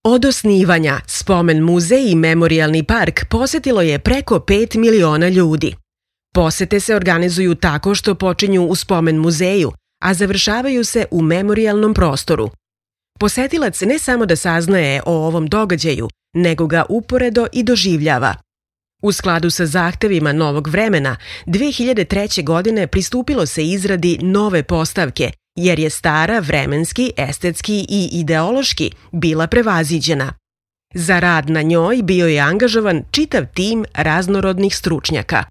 Od osnivanja, Spomen muzej i Memorijalni park posetilo je preko 5 miliona ljudi. Posete se organizuju tako što počinju u Spomen muzeju, a završavaju se u memorijalnom prostoru. Posetilac ne samo da saznaje o ovom događaju, nego ga uporedo i doživljava. U skladu sa zahtevima novog vremena, 2003. godine pristupilo se izradi nove postavke, jer je stara vremenski, estetski i ideološki bila prevaziđena. Za rad na njoj bio je angažovan čitav tim raznorodnih stručnjaka.